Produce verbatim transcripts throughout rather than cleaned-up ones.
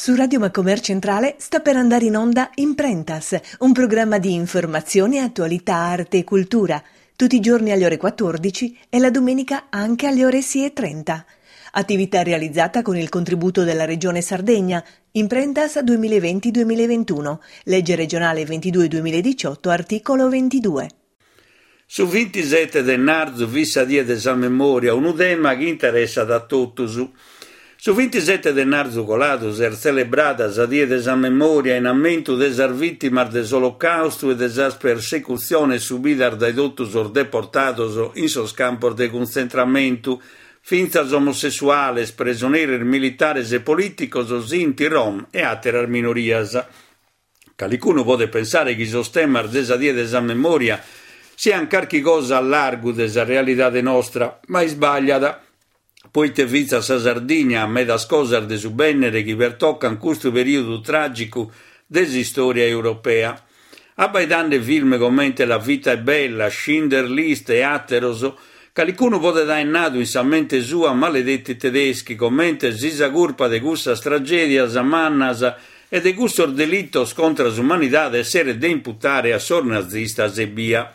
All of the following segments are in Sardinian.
Su Radio Macomer Centrale sta per andare in onda Imprentas, un programma di informazione, attualità, arte e cultura, tutti i giorni alle ore quattordici e la domenica anche alle ore sei e trenta. Attività realizzata con il contributo della Regione Sardegna, Imprentas duemilaventi duemilaventuno, legge regionale ventidue duemiladiciotto, articolo ventidue. Su ventisette de marzu fit sa die de sa memoria, unu tema chi interessat a totus. Su ventisette de marzu coladu s'est tzelebrada sa die de sa memoria in ammentu de sas vìtimas de s'Olocaustu e de sas persecutziones subidas dae totu sos deportados in sos campos de cuntzentramentu, fintzas omosessuales, presoneris militares e polìticos, Sinti, Rom e àteras minorias. Calicunu podet pensare chi sos temas de sa die de sa memoria sian carchi cosa a largu de sa realidade nostra, ma isbagliat, poite fintzas sa Sardigna at medas cosas de subènnere chi pertocan custu perìodu tràgicu de s'istòria europea. Abbaidende film comente La vita è bella, Schindler List e àteros, calicunu podet aer nadu in sa mente sua maledetti tedeschi, comente si sa curpa de cussas tragèdias mannas e de cussos delitos contra s'umanidade esseret de imputare a sos nazistas ebbia.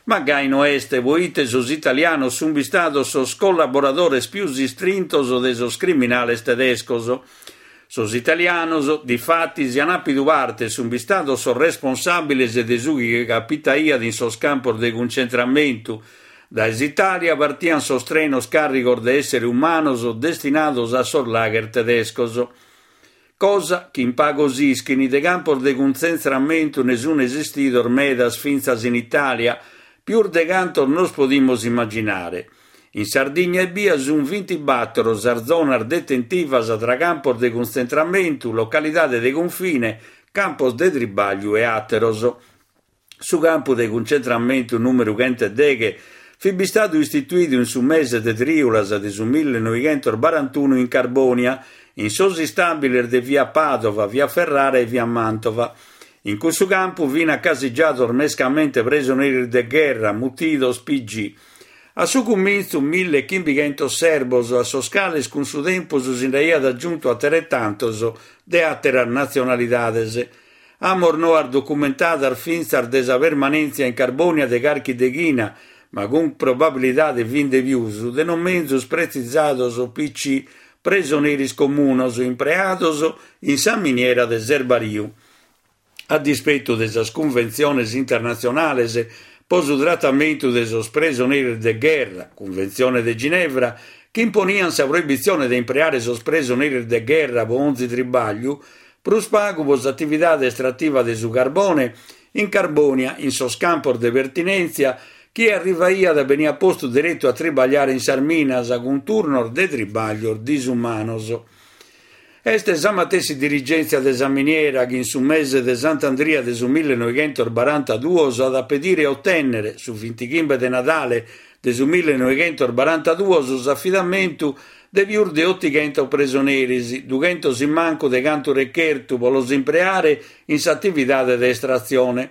Ma gai no est, poite sos italianos sunt bistados sos collaboradores pius istrintos de sos criminales tedescos. Sos italianos, difatis, an àpidu parte e sunt bistados sos responsàbiles de su chi capitaiat in sos campos de cuncentramentu. Dae s'Itàlia partian sos trenos càrrigos de èssere umanos destinados a sos lager tedescos. Cosa chi in pagos ischin, de campos de cuntzentramentu ne sunt esistidos medas fintzas in Itàlia, pius de cantos nos podimus immaginare. In Sardigna ebbia sunt bintibatoro sas zonas detentivas tra campos de cuntzentramentu, localidade de confine, campos de tribagliu e àteros. Su campu de cuncentramentu nùmeru chentu e deghe fit bistadu istituidu in su mese de trìulas de su millenoighentos barantunu in Carbònia, in sos istàbiles de via Padova, via Ferrara e via Mantova. In cussu campu fin acasigiados mescamente presoneris de gherra, mutidos P G. A su cumintzu millechimbichentos serbos, a sos cales cun su tempus si nd'aiat aggiuntu ateretantos de àteras natzionalidades. Amos noas documentadas fintzas de sa permanèntzia in Carbònia de carchi deghina, ma cun probabilidade fin de pius, de non menzus pretzisados P C, presoneris comunos, impreados in sa miniera de Serbariu. A dispetu de sas cunventziones internatzionales pro su tratamentu de sos presoneris de gherra, Cunventzione de Ginevra, chi imponian sa proibitzione de impreare sos presoneris de gherra pro onzi tribagliu, prus pagu pro s'atividade estrativa de su carbone, in Carbònia, in sos campos de pertinèntzia, chie arrivaiat beniat postu deretu a tribagliare in sas minas cun turnos de tribaglios disumanos. Est sa matessi dirigèntzia de sa miniera chi in su mese de Sant'Andria de su millenoighentos barantaduos at a pedire e otènnere, su vintichimbe de Nadale de su millenoighentos barantaduos, s'afidamentu de pius de otighentos presoneris, dughentos in mancu de cantu rechertu pro los impreare in s'atividade de estratzione.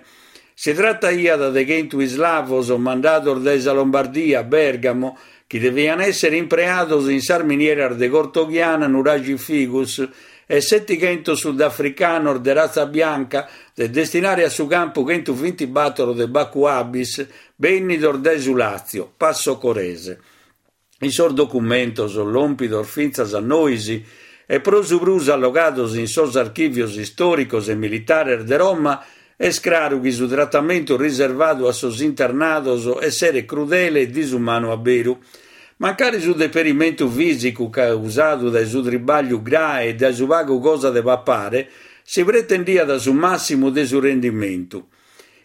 Si trataiat de chentu islavos mandados dae sa Lombardia, Bergamo, chi devian èssere impreados in sas minieras de Cortoghiana, Nuraxi Figus, e setighentos sudafricanos de ratza bianca de destinare a su campu chentu bintibatoro de Baccu Abis, bènnidos dae su Lazio, Passo Corese. In sos documentos lòmpidos fintzas a nois e pro su prus allogados in sos archìvios istòricos e militares de Roma, est craru chi su tratamentu riservadu a sos internados esseret crudele e disumanu a beru. Mancari su deperimentu fìsicu causadu dae su tribagliu grae e dae su pagu cosa de papare, si pretendiat su màssimu de su rendimentu.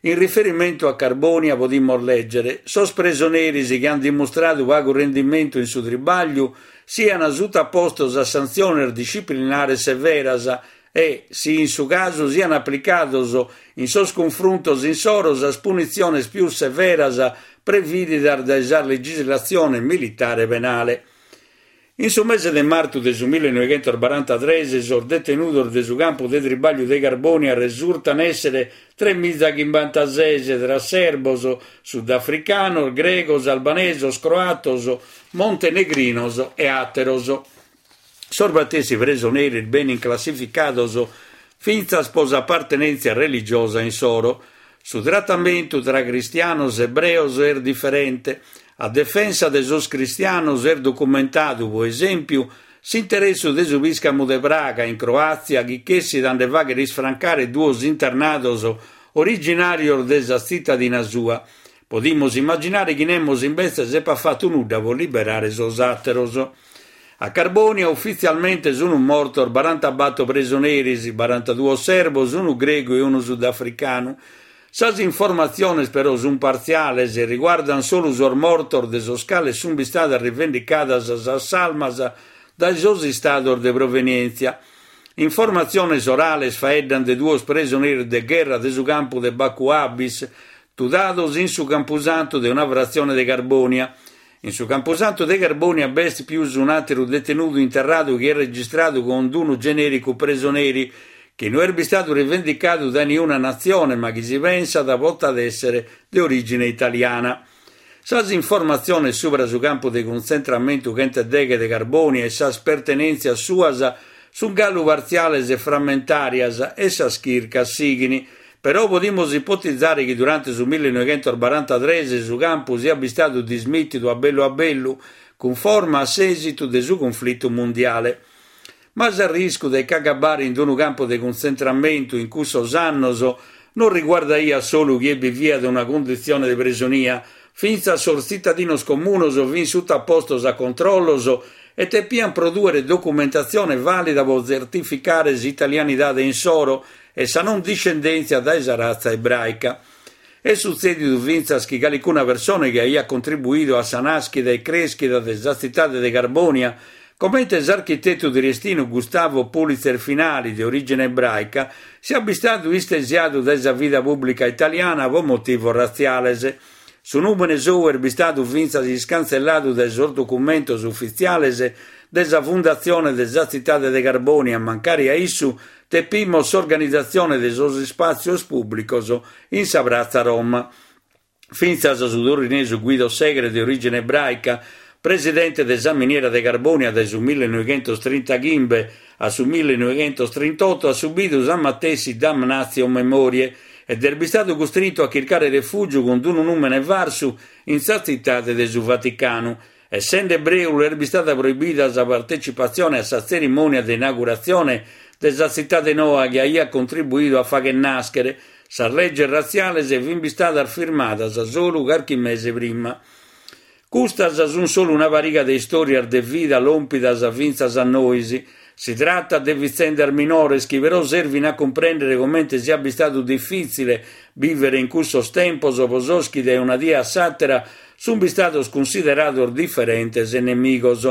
In riferimentu a Carbònia podimus lègere: sos presoneris chi ant dimustradu pagu rendimentu in su tribagliu sian sutapostos a santziones disciplinares severas e, si in su casu, sian aplicados in sos cunfruntos insoro sas punitziones pius severas prevìdidas dae sa legislatzione militare penale. In su mese de martu de su millenoighentos barantatrès sos detenudos de su campu de tribagliu de Carbònia resurtan èssere tremiza chimbantases tra serbos, sudafricanos, gregos, albanesos, croatos, montenegrinos e àteros. Sos matessi presoneris benin classificados fintzas pro s'apartenèntzia religiosa insoro. Su tratamentu tra cristianos e ebreos est diferente. A defensa de sos cristianos est documentadu, pro esèmpiu, s'interessu de su pìscamu de Praga in Croàtzia chi chessit a nde fàghere isfrancare duos internados originàrios de sa tzitadina sua. Podimus immaginare chi nemos imbetzes epat fatu nudda pro liberare sos àteros. A Carbonia ufitzialmente sunt mortos barantabator presoneris, barantaduos serbos, unu gregu e unu sudafricanu. Sas informatziones però sunt partziales e riguardant solu sos mortos de sos cales sunt istadas rivendicadas sas salmas dae sos istados de provenièntzia. Informatziones orales faeddant de duos presoneris de gherra de su campu de Bacu Abis, tudados in su campusantu de una fratzione de Carbonia. In su campusantu de Carbonia b'est pius un'àteru detenudu interradu chi est registradu cun unu genèricu presoneri, chi no est bistadu rivendicadu dae niuna natzione, ma chi si pensat potat èssere de orìgine italiana. Sas informatziones subra su campu de cuntzentramentu chentu e deghe de Carbonia e sas pertenèntzias suas sunt galu partziales e frammentàrias e sas chircas sighini. Però podimus ipotizare chi durante su millenoighentos barantatres su campu siat bistadu dismìtidu a bellu a bellu, cunforma a s'èsitu de su conflitu mundiale. Ma s'arriscu de ch'agabbare in unu campu de cuntzentramentu in cussos annos non riguardaiat solu chie biviat una cunditzione de presonia, fintzas sos tzitadinos comunos fin sutapostos a controllos e tepian prodùere documentatzione vàlida pro tzertificare s'italianidade insoro e sa non discendèntzia dae sa ratza ebraica. Est sutzèdidu fintzas chi calicuna persone chi aiat contribuidu a sa nàschida e crèschida de sa tzitade de Carbonia, comente s'architetu triestinu Gustavo Pulitzer Finali, de orìgine ebraica, siat bistadu istesiadu dae sa vida pùblica italiana pro motivos ratziales. Su nùmene sou est bistadu fintzas iscantzelladu dae sos documentos ufitziales de sa Fundatzione de sa tzitade de Carbonia, mancari a issu tepimos s'organizatzione de sos ispàtzios pùblicos in sa Pratza Roma. Fintzas su torinesu Guido Segre, de orìgine ebraica, presidente de sa miniera de Carbonia dae su millenoighentos trintaghimbe a su millenoighentos trintotto, at subidu sa matessi damnatio memoriae ed est bistadu custrintu a chircare refùgiu cun unu nùmene farsu in sa tzitade de su Vaticanu. Essende ebreu, est bistada proibida sa partecipatzione a sa tzerimònia de inauguratzione de sa tzitade noa chi aiat contribuidu a fagher nàschere. Sas leges ratziales fin bistadas firmadas solu carchi mese prima. Custas sunt solu una pariga de istòrias de vida lòmpidas fintzas a nois. Si tratat de vitzendas minores chi però servin a cumprèndere comente siat bistadu difìtzile bìvere in cussos tempos pro sos chi dae una die a s'àtera sunt bistados cunsiderados diferentes e nemigos.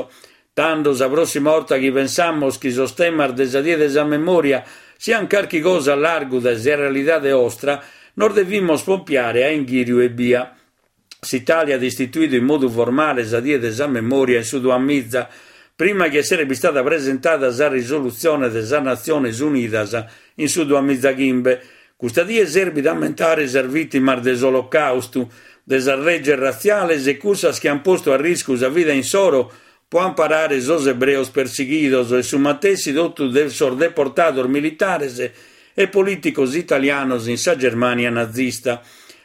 Tando, sa prossima 'orta chi pensamus chi sos temas de sa Die de sa Memòria sian carchi cosa a largu dae sa realidade 'ostra, nos devimus pompiare a inghìriu ebbia. S'Italia at istituidu in modu formale sa Die de sa Memòria in su duamiza, prima chi esseret bistada presentada sa risolutzione de sas Natziones Unidas in su duamizachimbe. Custa die servit a ammentare sas vìtimas de s'Olocaustu, de sas leges ratziales e cussas chi an postu a riscu sa vida insoro pro amparare sos ebreos persighidos e su matessi totu de sos deportados militares e polìticos italianos in sa Germania nazista.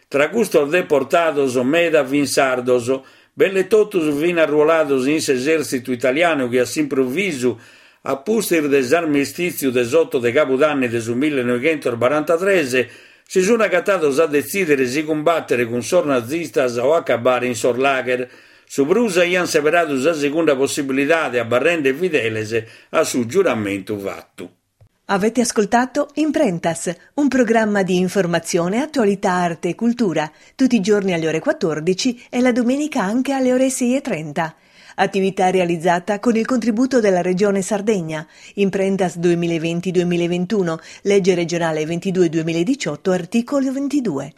Tra custos deportados meda fin sardos, belle totus fin arruolados in s'esèrtzitu italianu chi a s'improvisu, a pustis de s'armistìtziu de s'otto de Cabudanni de su millenoighentos barantatres, si sun agatados a detzìdere si cumbatere cun sos nazistas o acabare in sos lager. Su prus aian seberadu sa segunda possibilidade, abarrende fideles a su giuramentu fatu. Avete ascoltato Imprentas, un programma di informazione, attualità, arte e cultura, tutti i giorni alle ore quattordici e la domenica anche alle ore sei e trenta. Attività realizzata con il contributo della Regione Sardegna. Imprentas duemilaventi-duemilaventuno, legge regionale ventidue duemiladiciotto, articolo ventidue.